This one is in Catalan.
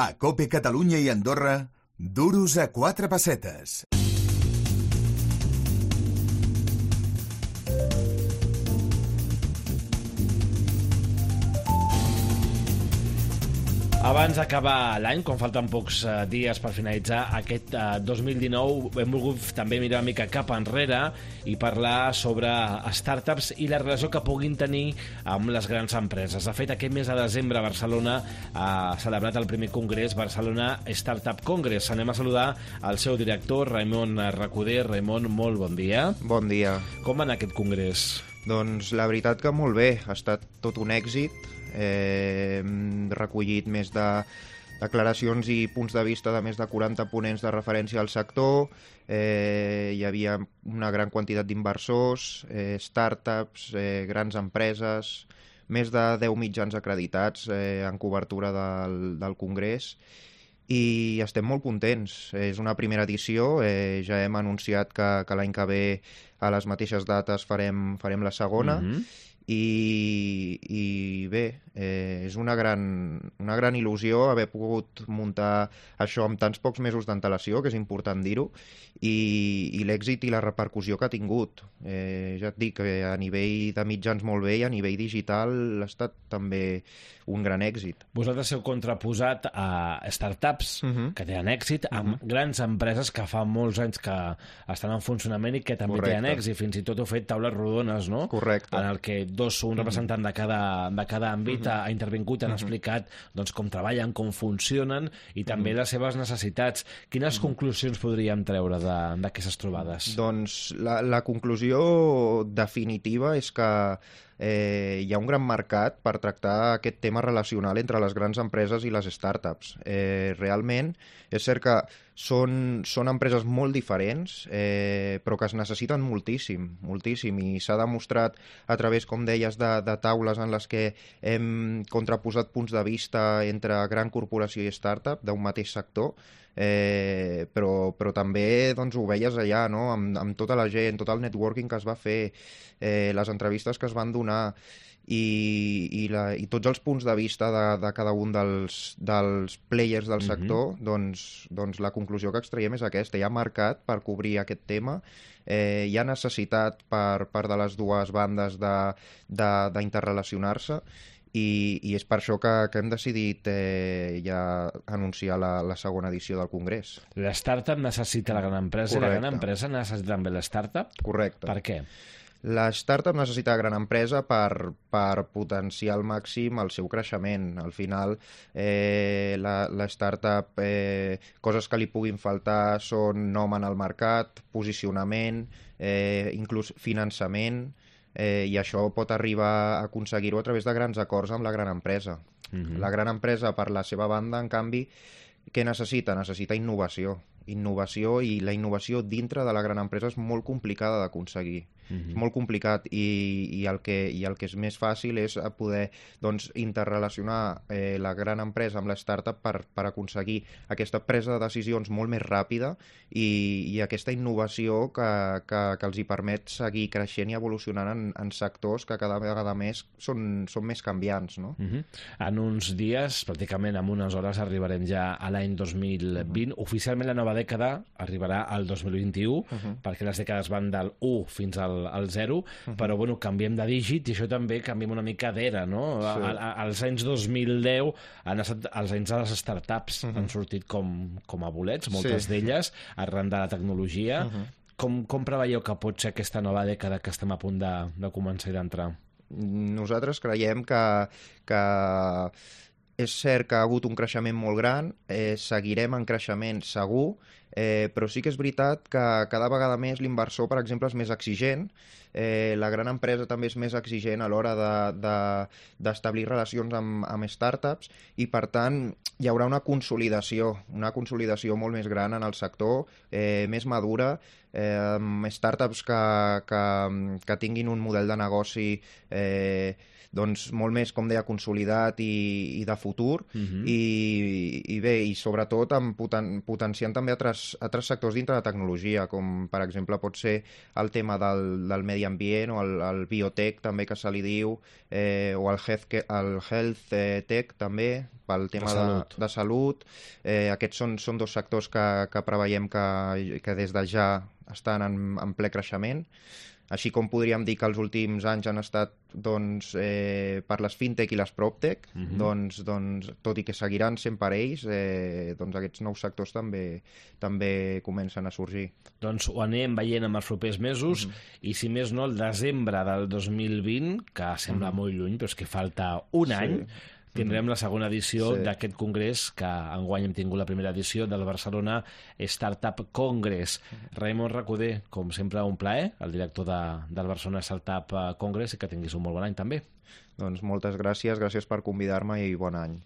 A COPE Catalunya i Andorra, duros a 4 pessetes. Abans d'acabar l'any, quan falten pocs dies per finalitzar aquest 2019, hem volgut també mirar una mica cap enrere i parlar sobre startups i la relació que puguin tenir amb les grans empreses. De fet, aquest mes de desembre Barcelona ha celebrat el primer congrés Barcelona Startup Congress. Anem a saludar el seu director, Raimon Recoder. Raimon, molt bon dia. Bon dia. Com va anar aquest congrés? Doncs la veritat que molt bé, ha estat tot un èxit. Hem recollit més de declaracions i punts de vista de més de 40 ponents de referència al sector. Hi havia una gran quantitat d'inversors, startups, grans empreses, més de 10 mitjans acreditats en cobertura del congrés, i estem molt contents. És una primera edició, ja hem anunciat que l'any que ve a les mateixes dates farem la segona. I bé, és una gran il·lusió haver pogut muntar això amb tants pocs mesos d'antelació, que és important dir-ho, i l'èxit i la repercussió que ha tingut. Ja et dic que a nivell de mitjans molt bé, i a nivell digital ha estat també un gran èxit. Vosaltres heu contraposat a startups que tenen èxit amb grans empreses que fa molts anys que estan en funcionament i que també tenen èxit. Fins i tot heu fet taules rodones, no? Correcte. En el que un representant de cada àmbit ha intervingut, han explicat doncs, com treballen, com funcionen i també les seves necessitats. Quines conclusions podríem treure d'aquestes trobades? Doncs la conclusió definitiva és que hi ha un gran mercat per tractar aquest tema relacional entre les grans empreses i les startups. Realment, és cert que són empreses molt diferents, però que es necessiten moltíssim, i s'ha demostrat a través, com deies, de taules en les que hem contraposat punts de vista entre gran corporació i startup d'un mateix sector, però també doncs, ho veies allà, no? amb tota la gent, tot el networking que es va fer, les entrevistes que es van donar i tots els punts de vista de cada un dels players del sector, doncs la conclusió que extraiem és aquesta. Hi ha mercat per cobrir aquest tema, hi ha necessitat per part de les dues bandes d'interrelacionar-se, i és per això que hem decidit ja anunciar la segona edició del Congrés. La startup necessita la gran empresa. Correcte. I la gran empresa necessita també la startup? Correcte. Per què? La startup necessita gran empresa per potenciar al màxim el seu creixement. Al final, la startup, coses que li puguin faltar són nom en el mercat, posicionament, inclús finançament, i això pot arribar a aconseguir-ho a través de grans acords amb la gran empresa. La gran empresa, per la seva banda, en canvi, què necessita? Necessita innovació, i la innovació dintre de la gran empresa és molt complicada d'aconseguir. És molt complicat, i el que és més fàcil és poder interrelacionar la gran empresa amb la startup per aconseguir aquesta presa de decisions molt més ràpida i aquesta innovació que els hi permet seguir creixent i evolucionant en sectors que cada vegada més són més canviants, no? En uns dies, pràcticament en unes hores, arribarem ja a l'any 2020. Oficialment la nova dècada arribarà al 2021, perquè les dècades van del 1 fins al 0, però bueno, canviem de dígit i això també canviem una mica d'era, no? Sí. Als anys 2010 han estat els anys de les startups, han sortit com a bolets, moltes d'elles, arran de la tecnologia. Com preveieu que pot ser aquesta nova dècada que estem a punt de començar i d'entrar? Nosaltres creiem que és cert que ha hagut un creixement molt gran, seguirem en creixement segur, però sí que és veritat que cada vegada més l'inversor, per exemple, és més exigent, la gran empresa també és més exigent a l'hora d'establir relacions amb startups, i per tant hi haurà una consolidació molt més gran en el sector, més madura, amb startups que tinguin un model de negoci doncs molt més, com deia, consolidat i de futur, i bé, i sobretot potenciant també altres sectors dintre de tecnologia, com per exemple pot ser el tema del medi ambient o el biotech també que se li diu, o el health tech també, pel tema de salut. Aquests són dos sectors que preveiem que des de ja estan en ple creixement. Així com podríem dir que els últims anys han estat per les fintech i les proptech, doncs, tot i que seguiran sent per ells, aquests nous sectors també comencen a sorgir. Doncs ho anem veient en els propers mesos, i si més no, el desembre del 2020, que sembla molt lluny, però és que falta un any, tindrem la segona edició d'aquest congrés, que enguany hem tingut la primera edició del Barcelona Startup Congress. Raimon Recoder, com sempre, un plaer, el director del Barcelona Startup Congress, i que tinguis un molt bon any també. Doncs moltes gràcies per convidar-me i bon any.